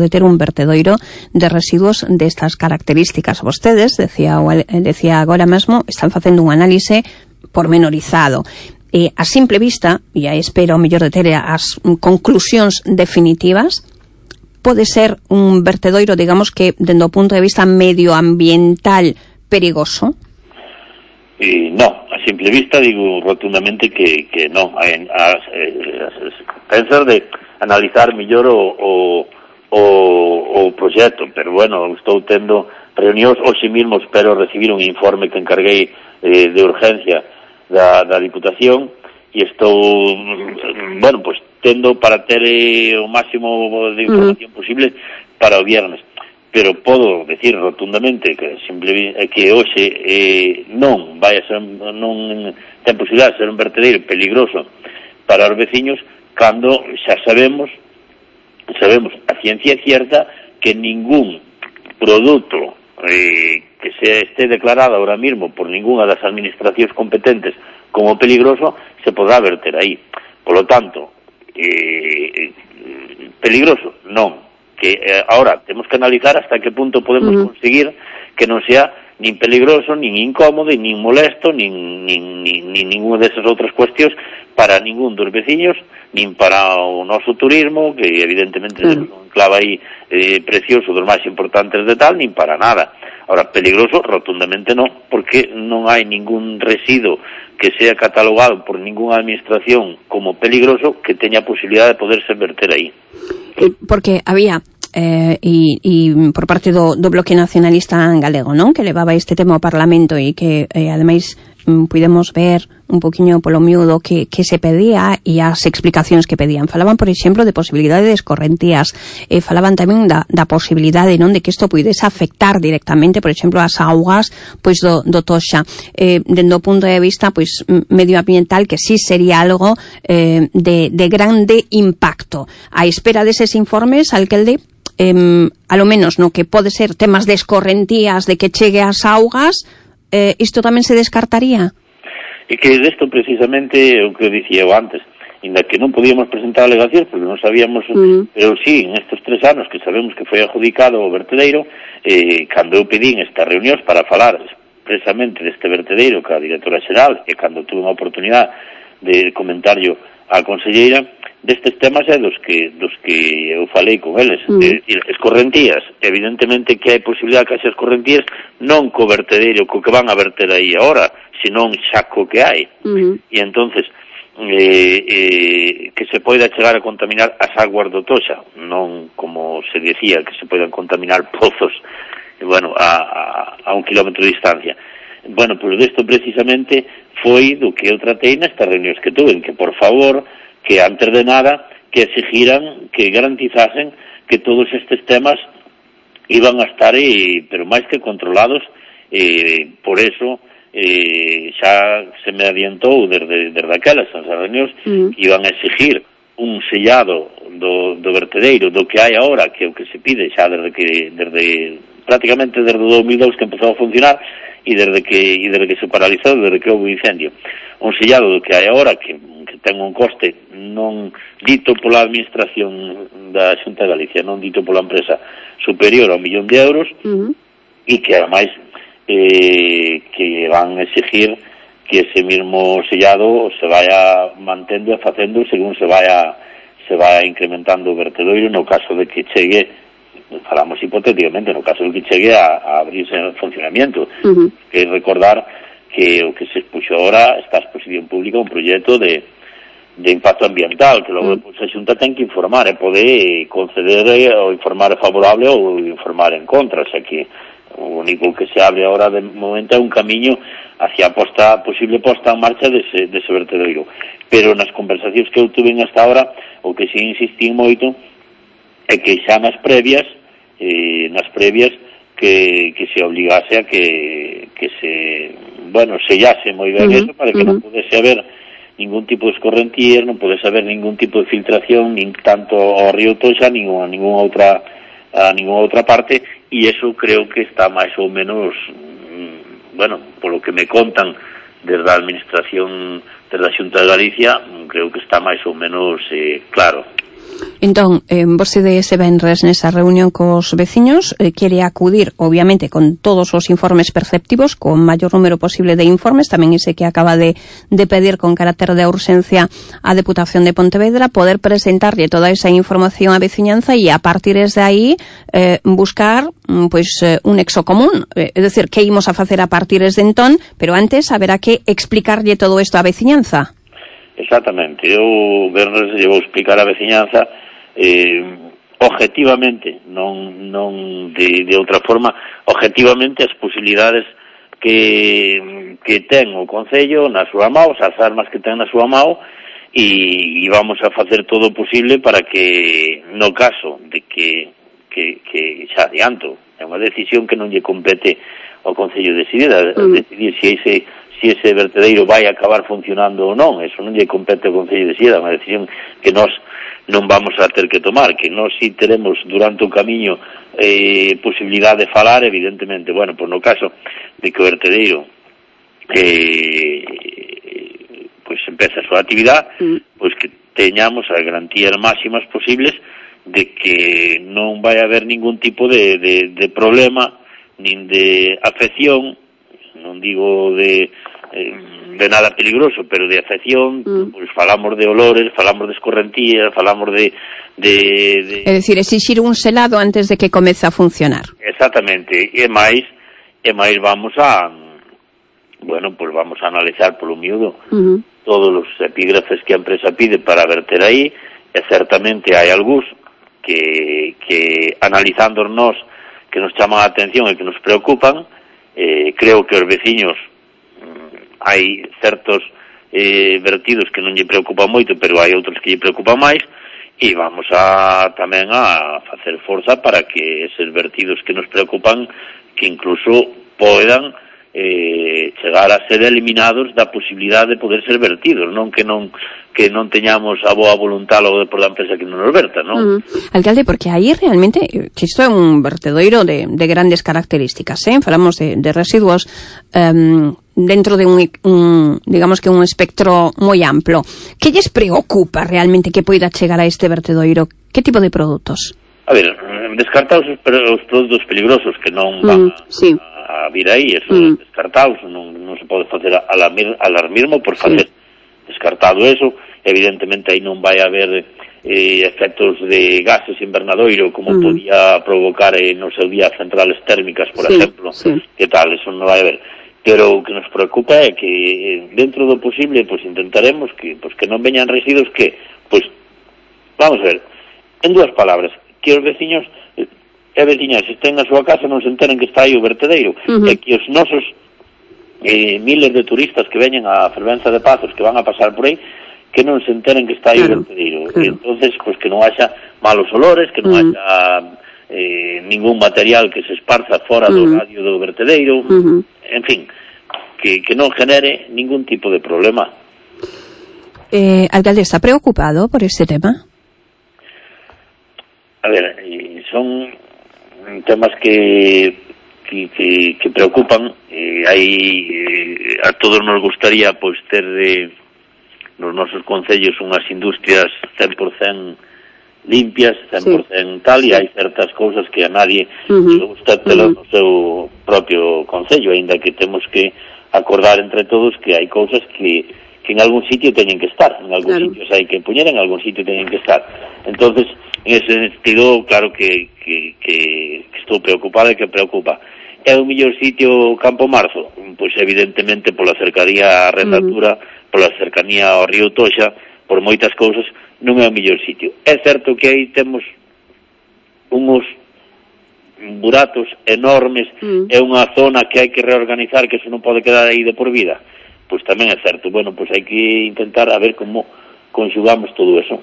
ter un vertedoiro de residuos destas características. Vostedes, decía agora mesmo, están facendo un análise pormenorizado. A simple vista, e aí espero o mellor de ter as conclusións definitivas, pode ser un vertedoiro, digamos que, dende o punto de vista medioambiental, perigoso? No, a simple vista digo rotundamente que non. Pensar de analizar mellor o proxecto, pero bueno, estou tendo reunións, hoxe mesmo espero recibir un informe que encarguei de urgencia da Diputación, e estou, bueno, pues tendo para ter o máximo de información posible para o viernes, pero podo decir rotundamente que hoxe non vai a ser, non ten posibilidad de ser un vertedeiro peligroso para os veciños, cando xa sabemos a ciencia cierta que ningún produto que se esté declarado ahora mismo por ninguna das administracións competentes como peligroso se podrá verter aí. Por lo tanto, peligroso non, que ahora temos que analizar hasta que punto podemos conseguir que non sea nin peligroso, nin incómodo, nin molesto, nin ninguna desas outras cuestións para ningún dos veciños, nin para o noso turismo, que evidentemente é un clave aí precioso dos máis importantes de tal, nin para nada. Ahora, peligroso, rotundamente non, porque non hai ningún residuo que sea catalogado por ninguna administración como peligroso que teña posibilidad de poderse verter aí. Porque había por parte do Bloque Nacionalista Galego, non? Que levaba este tema ao Parlamento e que, ademais, pudemos ver un poquinho polo miúdo que se pedía e as explicacións que pedían. Falaban, por exemplo, de posibilidade de escorrentías, falaban tamén da posibilidade, non, de que isto pudese afectar directamente, por exemplo, as augas pois do Toxa, dende o punto de vista pois medioambiental, que sí sería algo de grande impacto. A espera deses informes, alcalde, a lo menos no que pode ser temas de escorrentías, de que chegue as augas, isto tamén se descartaría? E que desto precisamente o que dicía eu antes, inda que non podíamos presentar alegacións porque non sabíamos, pero sí, en estes 3 anos que sabemos que foi adjudicado o vertedeiro, cando eu pedín estas reunións para falar expresamente deste vertedeiro que a directora xeral, e cando tuve unha oportunidade de comentarlo á conselleira, destes temas é dos que eu falei con eles. Escorrentías, evidentemente que hai posibilidade que haxa escorrentías non co vertedeiro, co que van a verter aí agora, senón xa co que hai. E entonces que se poida chegar a contaminar as aguas do Toxa, non como se decía que se poidan contaminar pozos a 1 kilómetro de distancia. Bueno, pois desto precisamente foi do que eu tratei nestas reunións que tuve, que por favor, que antes de nada, que exigiran, que garantizasen que todos estes temas iban a estar, pero máis que controlados, por eso xa se me adiantou desde aquelas reunións que iban a exigir un sellado do vertedeiro, do que hai agora, que é o que se pide xa prácticamente desde o 2002 que empezou a funcionar, e desde que se paralizou, desde que houve incendio. Un sellado do que hai agora, que ten un coste non dito pola administración da Xunta de Galicia, non dito pola empresa, superior a 1 millón de euros, e que ademais que van a exigir que ese mismo sellado se vaya mantendo e facendo según se vaya incrementando o vertedoiro, no caso de que chegue, falamos hipotéticamente, no caso de que chegue a abrirse en funcionamiento. Que recordar que o que se expuxo ahora está a exposición pública un proxecto de impacto ambiental, que logo a Xunta ten que informar e pode conceder ou informar favorable ou informar en contra, o sea que o único que se abre ahora de momento é un camiño hacia a posible posta en marcha dese vertedoiro. Pero nas conversacións que eu tuve hasta ahora, o que si insistí moito é que xa nas previas que se obligase a que se sellase moi ben eso para que non pudese haber ningún tipo de escorrentías, non pudese haber ningún tipo de filtración, nin tanto ao río Toxa, nin a ninguna outra parte, e eso creo que está máis ou menos, polo que me contan desde a administración, desde a Xunta de Galicia, creo que está máis ou menos claro. Entón, vostede ese venres nesa reunión cos veciños quere acudir, obviamente, con todos os informes perceptivos, con maior número posible de informes, tamén ese que acaba de pedir con carácter de urxencia a Deputación de Pontevedra, poder presentarlle toda esa información á veciñanza e a partir de aí buscar un nexo común, é dicir, que imos a facer a partir de entón, pero antes haberá que explicarlle todo isto á veciñanza. Exactamente, eu vernos lle vou explicar a veciñanza objetivamente, non de outra forma, objetivamente as posibilidades que ten o Concello na súa mão, as armas que ten na súa mão, e vamos a facer todo o posible para que, no caso de que xa adianto, é unha decisión que non lle compete ao Concello decidir si ese vertedeiro vai acabar funcionando ou non, eso non lle compete ao Concello de Sida, é unha decisión que nós non vamos a ter que tomar, que nós si teremos durante o camiño posibilidade de falar, evidentemente, pois no caso de que o vertedeiro pois empeza a súa actividade, pois que teñamos as garantías máximas posibles de que non vai haber ningún tipo de problema nin de afección, non digo de nada peligroso, pero de afección, pois falamos de olores, falamos de escorrentías, falamos de... É dicir, exixir un selado antes de que comece a funcionar. Exactamente, e máis vamos a vamos a analizar polo miúdo todos os epígrafes que a empresa pide para verter aí, e certamente hai algúns que analizando nós que nos chaman a atención e que nos preocupan. Creo que os veciños hai certos vertidos que non lle preocupan moito, pero hai outros que lle preocupan máis, e vamos tamén a facer forza para que eses vertidos que nos preocupan, que incluso poidan chegar a ser eliminados da posibilidade de poder ser vertidos, non que non teñamos a boa voluntad logo por da empresa que non nos verta, non? Alcalde, porque aí realmente que isto é un vertedoiro de grandes características, falamos de residuos dentro de digamos que un espectro moi amplo. Que lles preocupa realmente que poida chegar a este vertedoiro? Que tipo de produtos? A ver, descartados os produtos peligrosos que non van a vir aí, eso descartados, non se pode facer alarmismo por facer descartado eso. Evidentemente aí non vai haber efectos de gases invernadoiro como podía provocar no seu día centrales térmicas, por exemplo, que tal, eso non vai haber. Pero o que nos preocupa é que dentro do posible intentaremos que non veñan residuos que, vamos a ver, en dúas palabras, que os veciños e veciñas estén na súa casa non se enteren que está aí o vertedeiro, e que os nosos miles de turistas que veñen a Fervenza de Pazos, que van a pasar por aí, que non se enteren que está aí o vertedeiro. E entonces, que non haxa malos olores, que non haxa ningún material que se esparza fora do radio do vertedeiro, en fin, que non genere ningún tipo de problema. Alcalde, ¿está preocupado por este tema? A ver, son temas que preocupan. A todos nos gustaría ter nos nosos concellos unhas industrias 100% limpias, 100% tal, e hai certas cousas que a nadie le gusta telas no seu propio concello, aínda que temos que acordar entre todos que hai cousas que en algún sitio teñen que estar, en algún sitio hai que poñer, en algún sitio teñen que estar. Entonces, en ese sentido, claro que estou preocupado e que preocupa. É o mellor sitio Campo Marzo? Pois evidentemente pola cercanía á Rendatura, pola cercanía ao río Toxa, por moitas cousas, non é o mellor sitio. É certo que aí temos uns buratos enormes, é unha zona que hai que reorganizar, que eso non pode quedar aí de por vida. Pois tamén é certo. Bueno, pois hai que intentar a ver como conxugamos todo eso.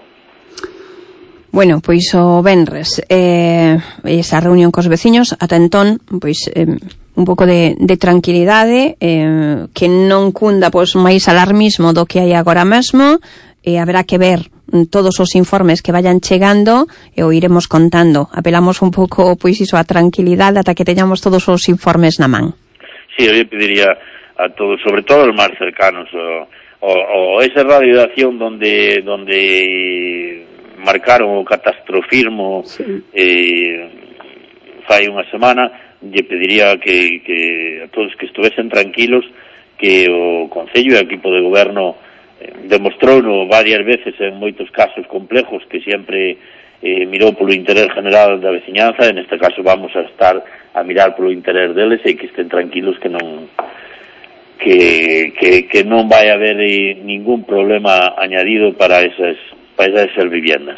Bueno, pois o venres esa reunión cos veciños, ata entón, pois un pouco de tranquilidade, que non cunda pois máis alarmismo do que hai agora mesmo, haberá que ver todos os informes que vayan chegando e o iremos contando. Apelamos un pouco pois iso a tranquilidade ata que teñamos todos os informes na man. Sí, eu pediría a todos, sobre todo os máis cercanos, o ese radio de acción donde marcaron o catastrofismo fai unha semana, lle pediría que a todos que estuvesen tranquilos, que o Concello e o equipo de goberno demostrouno varias veces en moitos casos complejos que sempre mirou polo interés general da veciñanza. En este caso vamos a estar a mirar polo interés deles e que estén tranquilos, que non vai haber ningún problema añadido para esas viviendas.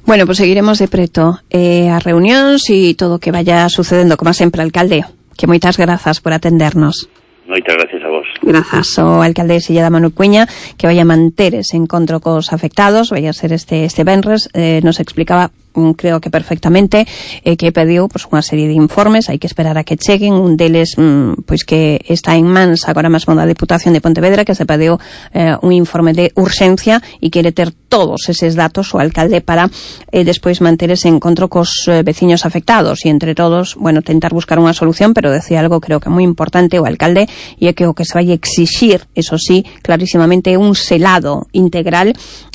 Bueno, pues seguiremos de preto as reunións e todo o que vaya sucedendo, como sempre, alcalde, que moitas grazas por atendernos. Moitas gracias a vos. Grazas ao alcalde de Silleda, Manu Cuña, que vai a manter ese encontro cos afectados, vai a ser este venres, nos explicaba, creo que perfectamente, que pediu pues, unha serie de informes, hai que esperar a que cheguen, un deles pois que está en mans agora mesmo da Deputación de Pontevedra, que se pediu un informe de urxencia e quere ter todos eses datos o alcalde para despois manter ese encontro cos veciños afectados e entre todos, bueno, tentar buscar unha solución, pero decía algo creo que moi importante o alcalde, e é que o que se vai exixir, eso sí, clarísimamente un selado integral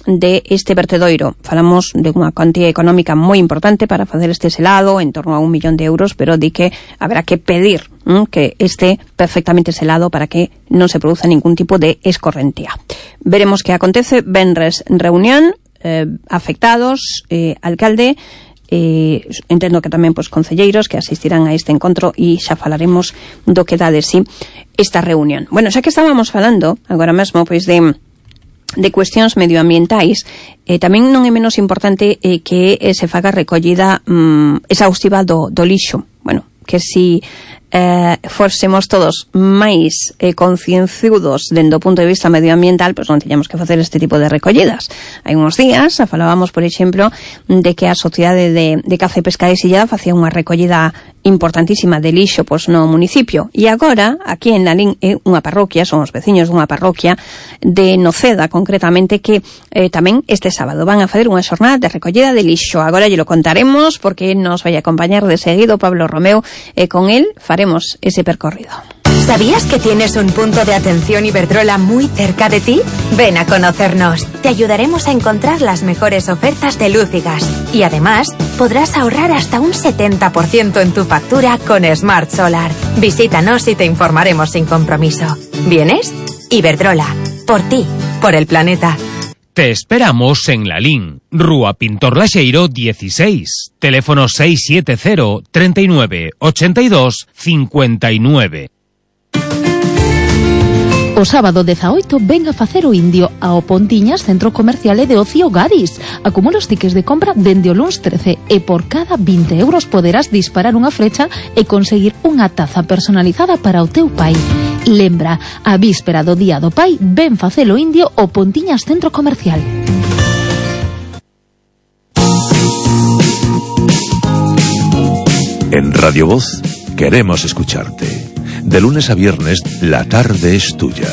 de este vertedoiro. Falamos de unha cuantía económica moi importante para facer este selado, en torno a 1 millón de euros, pero di que habrá que pedir que esté perfectamente selado para que non se produza ningún tipo de escorrentía. Veremos que acontece. Venres reunión, afectados, alcalde, entendo que tamén concelleiros que asistirán a este encontro, e xa falaremos do que dá de sí esta reunión. Bueno, xa que estábamos falando agora mesmo de cuestións medioambientais, tamén non é menos importante que se faga recollida exhaustiva do lixo. Bueno, que si fórsemos todos máis concienciudos dende o punto de vista medioambiental, pois non tiñamos que facer este tipo de recollidas. Hai uns días falábamos, por exemplo, de que a Sociedade de Caza e Pesca de Sillada facía unha recollida importantísima de lixo no municipio, e agora aquí en Lalín é unha parroquia, son os veciños dunha parroquia de Noceda concretamente, que tamén este sábado van a facer unha xornada de recollida de lixo. Agora lle lo contaremos porque nos vai a acompañar de seguido Pablo Romeo, e con él faremos ese percorrido. ¿Sabías que tienes un punto de atención Iberdrola muy cerca de ti? Ven a conocernos. Te ayudaremos a encontrar las mejores ofertas de luz y gas. Y además, podrás ahorrar hasta un 70% en tu factura con Smart Solar. Visítanos y te informaremos sin compromiso. ¿Vienes? Iberdrola. Por ti. Por el planeta. Te esperamos en Lalín, Rúa Pintor Laxeiro 16, teléfono 670 39 82 59. O sábado 18 ven a facer o indio ao Pontiñas Centro Comercial de Ocio Gadis. Acumula os tickets de compra dende o luns 13 e por cada 20 euros poderás disparar unha flecha e conseguir unha taza personalizada para o teu pai. Lembra, a víspera do Día do Pai, ven facer o indio ao Pontiñas Centro Comercial. En Radio Voz queremos escucharte. De lunes a viernes, la tarde es tuya.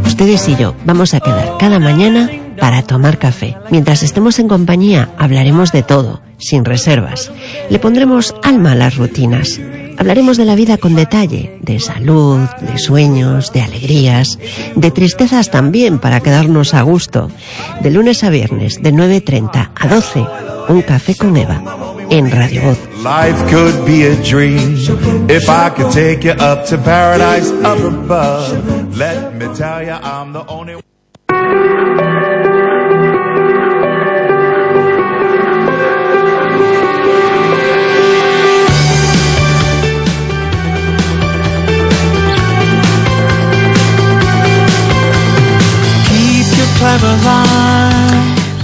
Ustedes y yo vamos a quedar cada mañana para tomar café. Mientras estemos en compañía, hablaremos de todo, sin reservas. Le pondremos alma a las rutinas. Hablaremos de la vida con detalle, de salud, de sueños, de alegrías, de tristezas también para quedarnos a gusto. De lunes a viernes, de 9:30 a 12, un café con Eva, en Radio Voz. Life could be a dream if I could take you up to paradise up above. Let me tell you I'm the only one.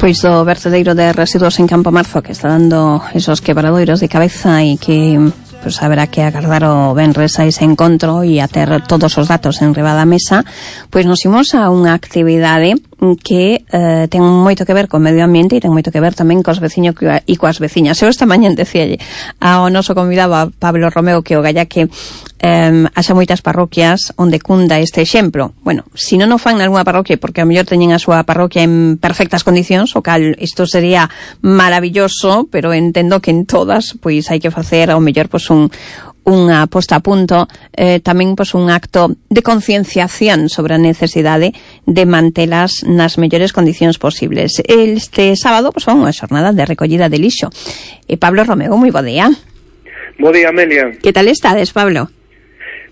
Pois do vertedeiro de residuos en Campo Marzo, que está dando esos quebradoiros de cabeza e que pues haberá que agardar o venres a ese encontro e a ter todos os datos en riba da mesa. Pois nos imos a unha actividade que ten moito que ver co medio ambiente e ten moito que ver tamén cos veciños e coas veciñas. Eu esta mañá decíalle ao noso convidado, a Pablo Romeo, que o galla que haxa moitas parroquias onde cunda este exemplo. Bueno, se non o fan nalgúna parroquia porque a mellor teñen a súa parroquia en perfectas condicións, o cal isto sería maravilloso, pero entendo que en todas pois hai que facer ao mellor pois unha posta a punto, tamén pois un acto de concienciación sobre a necesidade de mantelas nas mellores condicións posibles. Este sábado pois fan unha xornada de recollida de lixo. Pablo Romeo, moi bo día. Bo día, Amelia. Que tal estades, Pablo?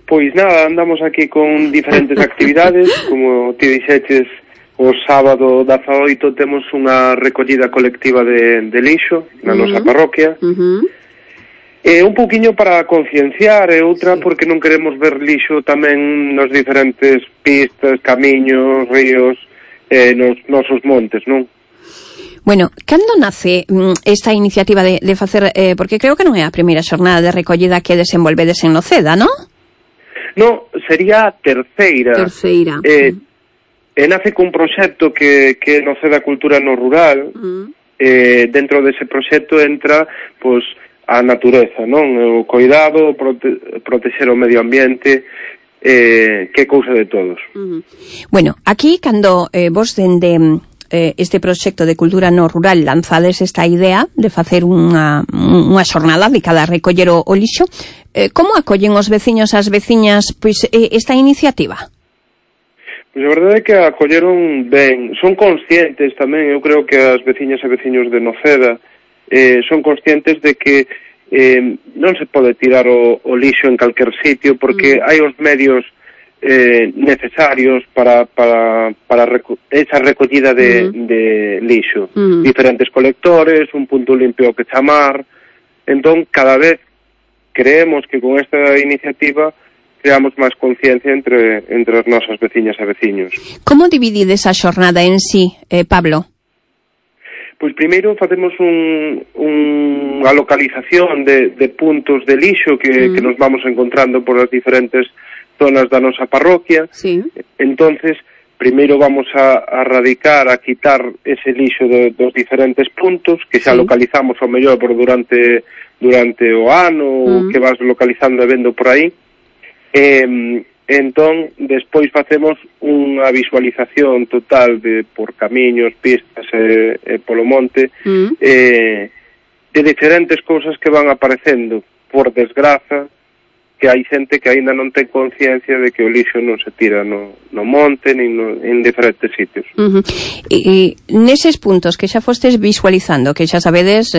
Pois nada, andamos aquí con diferentes actividades, como ti dixeches, o sábado 18 temos unha recollida colectiva de lixo na nosa parroquia. Un pouquiño para concienciar e outra porque non queremos ver lixo tamén nos diferentes pistas, camiños, ríos, nos nosos montes, non? Bueno, cando nace esta iniciativa de facer, porque creo que non é a primeira xornada de recollida que desenvolvedes en Noceda, non? No, sería a terceira. Terceira. Nace cun proxecto que Noceda Cultura no Rural. Dentro dese proxecto entra, pois, a natureza, non? O cuidado, protexer o medio ambiente, que cousa de todos. Bueno, aquí, cando vos dende este proxecto de cultura no rural, lanzades esta idea de facer unha xornada dedicada a recoller o lixo. Como acollen os veciños as veciñas pois esta iniciativa? Pois a verdade é que acolleron ben, son conscientes tamén, eu creo que as veciñas e veciños de Noceda son conscientes de que non se pode tirar o lixo en calquer sitio, porque hai os medios necesarios para esa recollida de lixo. Diferentes colectores, un punto limpio que chamar. Entón, cada vez creemos que con esta iniciativa creamos máis conciencia entre as nosas veciñas e veciños. Como dividides a xornada en sí, Pablo? Pois primeiro facemos unha localización de puntos de lixo que nos vamos encontrando por as diferentes zonas da nosa parroquia. Sí. Entonces, primeiro vamos a radicar, a quitar ese lixo dos diferentes puntos que xa localizamos ao mellor por durante o ano, que vas localizando e vendo por aí. Entón, despois facemos unha visualización total por camiños, pistas e polo monte de diferentes cousas que van aparecendo. Por desgraza, que hai xente que aínda non ten conciencia de que o lixo non se tira no monte nin en diferentes sitios. E neses puntos que xa fostes visualizando, que xa sabedes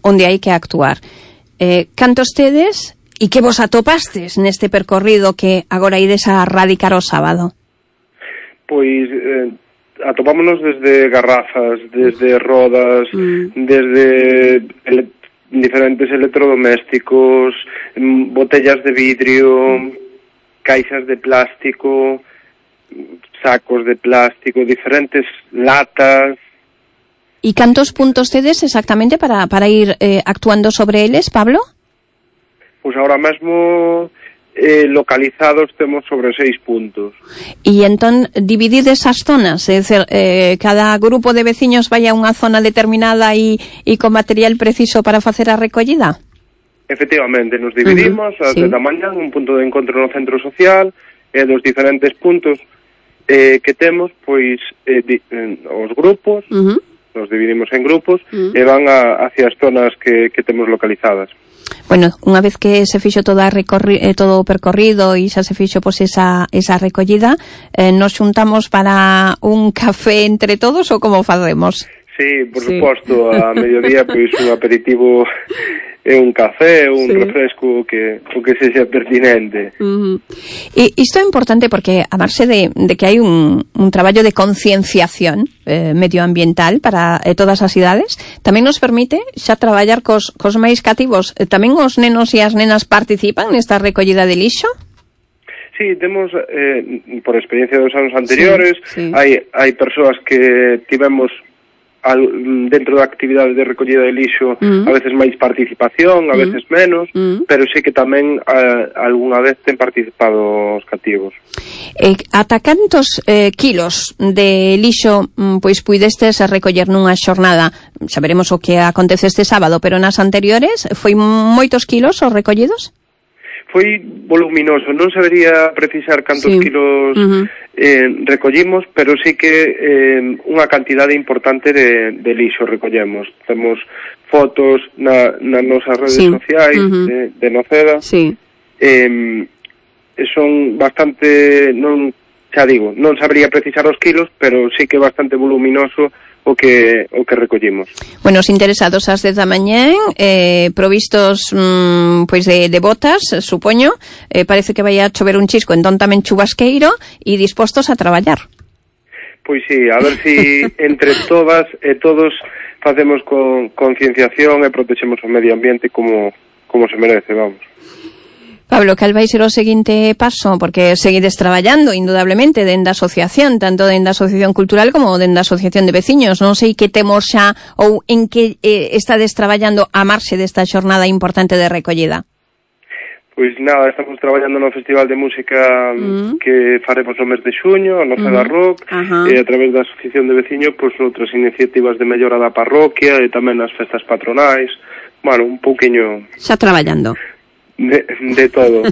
onde hai que actuar, cantos tedes e que vos atopastes neste percorrido que agora ides a radicar o sábado? Pois atopámonos desde garrafas, desde rodas, desde diferentes electrodomésticos, botellas de vidrio, caixas de plástico, sacos de plástico, diferentes latas. E cantos puntos tedes exactamente para ir actuando sobre eles, Pablo? Pois agora mesmo localizados temos sobre 6 puntos. E entón dividides as zonas, é dizer, cada grupo de veciños vai a unha zona determinada e con material preciso para facer a recollida? Efectivamente, nos dividimos ás 10 da mañá, un punto de encontro no centro social, e dos diferentes puntos que temos, pois os grupos, nos dividimos en grupos e van hacia as zonas que temos localizadas. Bueno, unha vez que se fixo todo o percorrido e xa se fixo pois esa recollida, nos xuntamos para un café entre todos ou como facemos? Sí, por suposto, a mediodía pois un aperitivo e un café ou un refresco que sexa pertinente. E isto é importante porque a marxe de que hai un traballo de concienciación medioambiental para todas as idades, tamén nos permite xa traballar cos máis cativos. Tamén os nenos e as nenas participan nesta recollida de lixo? Sí, temos, por experiencia dos anos anteriores, hai persoas que tivemos dentro da actividade de recollida de lixo a veces máis participación, a veces menos, pero sí que tamén algunha vez ten participado os cativos. Ata cantos kilos de lixo pois puidestes recoller nunha xornada? Saberemos o que acontece este sábado, pero nas anteriores foi moitos kilos os recollidos? Foi voluminoso, non sabería precisar cantos kilos recollimos, pero sí que unha cantidade importante de lixo recollemos. Temos fotos nas nosas redes sociais de Noceda. Son bastante, non sabería precisar os kilos, pero sí que bastante voluminoso o que recollimos. Bueno, os interesados ás 10 da mañá, provistos pois de botas, supoño, parece que vai a chover un chisco, entón tamén chubasqueiro e dispostos a traballar. Pois sí, a ver si entre todas e todos facemos con concienciación e protexemos o medio ambiente como se merece, vamos. Pablo, cal vai ser o seguinte paso? Porque seguides traballando, indudablemente, dende a asociación, tanto dende a asociación cultural como dende a asociación de veciños. Non sei que temos xa ou en que estades traballando a marxe desta xornada importante de recollida. Pois nada, estamos traballando no Festival de Música que faremos no mes de xuño, no Noceda Rock, e a través da Asociación de Veciños, pois outras iniciativas de mellora da parroquia e tamén as festas patronais. Bueno, un pouquiño... Xa traballando. De todo.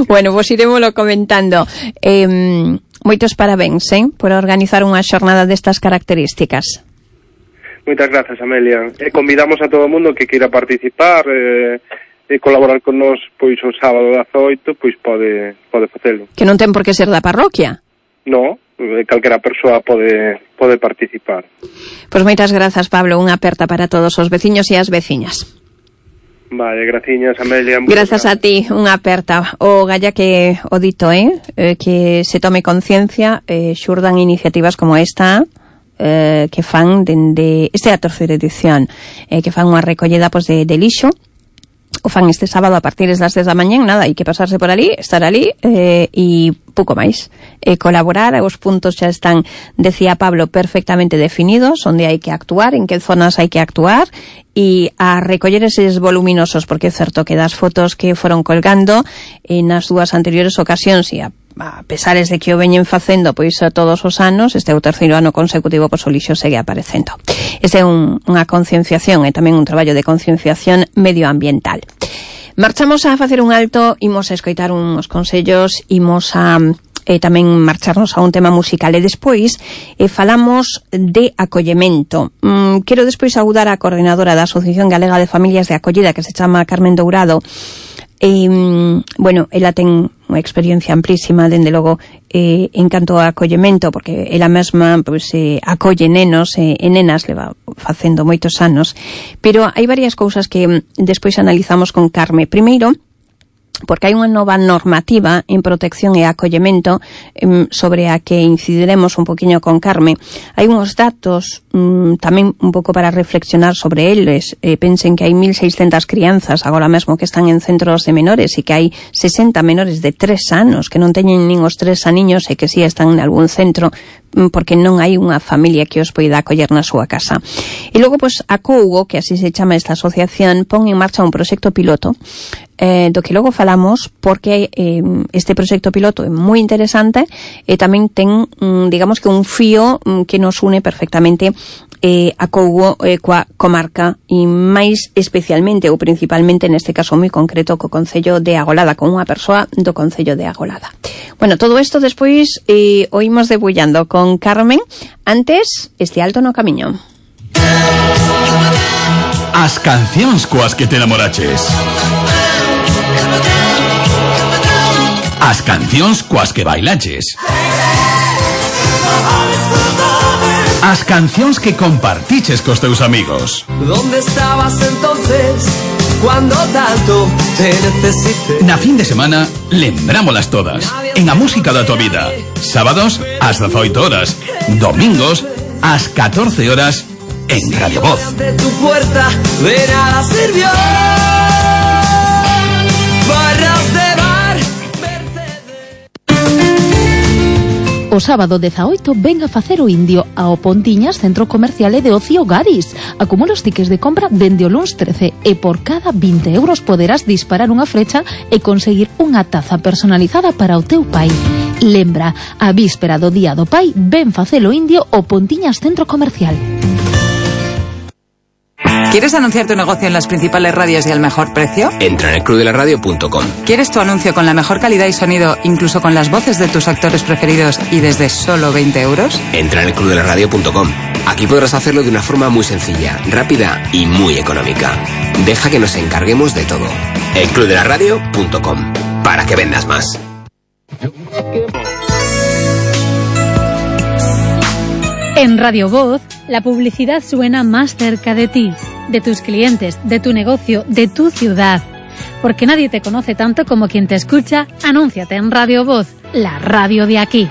Bueno, pues iremoslo comentando. moitos parabéns, por organizar unha xornada destas características. Moitas grazas, Amelia. E convidamos a todo o mundo que queira participar e colaborar con nós, pois o sábado 18, pois pode facelo. Que non ten por que ser da parroquia? No, calquera persoa pode participar. Pois moitas grazas, Pablo, unha aperta para todos os veciños e as veciñas. Vale, graciñas, Amelia. Grazas a ti, unha aperta. O galla que o dito, que se tome conciencia, xurdan iniciativas como esta, que fan dende... Esta é a terceira edición, que fan unha recollida pois, de lixo. O fan este sábado a partir das 10 da mañá, nada, hai que pasarse por ali, estar ali e pouco máis. Colaborar, os puntos xa están, decía Pablo, perfectamente definidos, onde hai que actuar, en que zonas hai que actuar, e a recoller eses voluminosos, porque é certo que das fotos que foron colgando nas dúas anteriores ocasións, e a pesares de que o veñen facendo pois a todos os anos, este é o terceiro ano consecutivo, pois o lixo segue aparecendo. Este é unha concienciación e tamén un traballo de concienciación medioambiental. Marchamos a facer un alto, imos a escoitar uns consellos, imos a tamén marcharnos a un tema musical e despois falamos de acollemento. Quero despois saudar a coordinadora da Asociación Galega de Familias de Acollida, que se chama Carmen Dourado. Bueno, ela ten unha experiencia amplísima, dende logo, en canto a acollemento, porque ela mesma pois, acolle nenos e nenas, leva facendo moitos anos, pero hai varias cousas que despois analizamos con Carme. Primeiro, porque hai unha nova normativa en protección e acollemento sobre a que incidiremos un poquinho con Carme. Hai uns datos tamén un pouco para reflexionar sobre eles. Pensen que hai 1.600 crianzas agora mesmo que están en centros de menores e que hai 60 menores de 3 anos que non teñen nin os 3 aniños e que si están en algún centro porque non hai unha familia que os poida acoller na súa casa. E logo, pois, a Cougo, que así se chama esta asociación, pon en marcha un proxecto piloto do que logo falamos, porque este proxecto piloto é moi interesante e tamén ten, digamos que un fío que nos une perfectamente a Cougo coa comarca e máis especialmente ou principalmente neste caso moi concreto co Concello de Agolada, con unha persoa do Concello de Agolada. Bueno, todo isto despois oímos debullando con Carmen. Antes, este alto no camiño. As cancións coas que te enamoraches. As cancións coas que bailaches. As cancións que compartiches cos teus amigos. ¿Dónde estabas entonces cuando tanto te necesité? Na fin de semana, lembrámolas todas. En a música da tua vida. Sábados, ás 18 horas. Domingos, ás 14 horas, en Radio Voz. De tu puerta de nada sirvió. Barras de bar. O sábado 18 ven a facer o indio ao Pontiñas Centro Comercial e de Ocio Garis. Acumula os tickets de compra dende o luns 13 e por cada 20 euros poderás disparar unha frecha e conseguir unha taza personalizada para o teu pai. Lembra, a víspera do Día do Pai ven facer o indio ao Pontiñas Centro Comercial. ¿Quieres anunciar tu negocio en las principales radios y al mejor precio? Entra en elclubdelaradio.com. ¿Quieres tu anuncio con la mejor calidad y sonido, incluso con las voces de tus actores preferidos y desde solo 20 euros? Entra en elclubdelaradio.com. Aquí podrás hacerlo de una forma muy sencilla, rápida y muy económica. Deja que nos encarguemos de todo. elclubdelaradio.com. Para que vendas más. En Radio Voz, la publicidad suena más cerca de ti, de tus clientes, de tu negocio, de tu ciudad. Porque nadie te conoce tanto como quien te escucha. Anúnciate en Radio Voz, la radio de aquí.